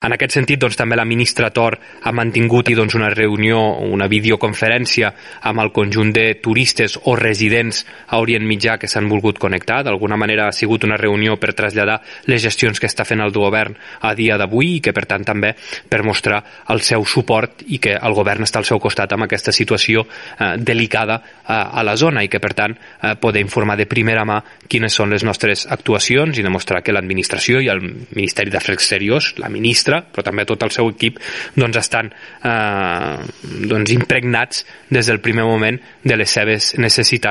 En aquest sentit, doncs, també la ministra Tor ha mantingut una reunió, una videoconferència amb el conjunt de turistes o residents a Orient Mitjà que s'han volgut connectar. D'alguna manera ha sigut una reunió per traslladar les gestions que està fent el govern a dia d'avui i que, per tant, també per mostrar el seu suport i que el govern està al seu costat amb aquesta situació delicada a la zona i que, per tant, poder informar de primera mà quines són les nostres actuacions i demostrar que l'administració i el Ministeri d'Afers Exteriors, la ministra, però també tot el seu equip, estan impregnats des del primer moment de les seves necessitats.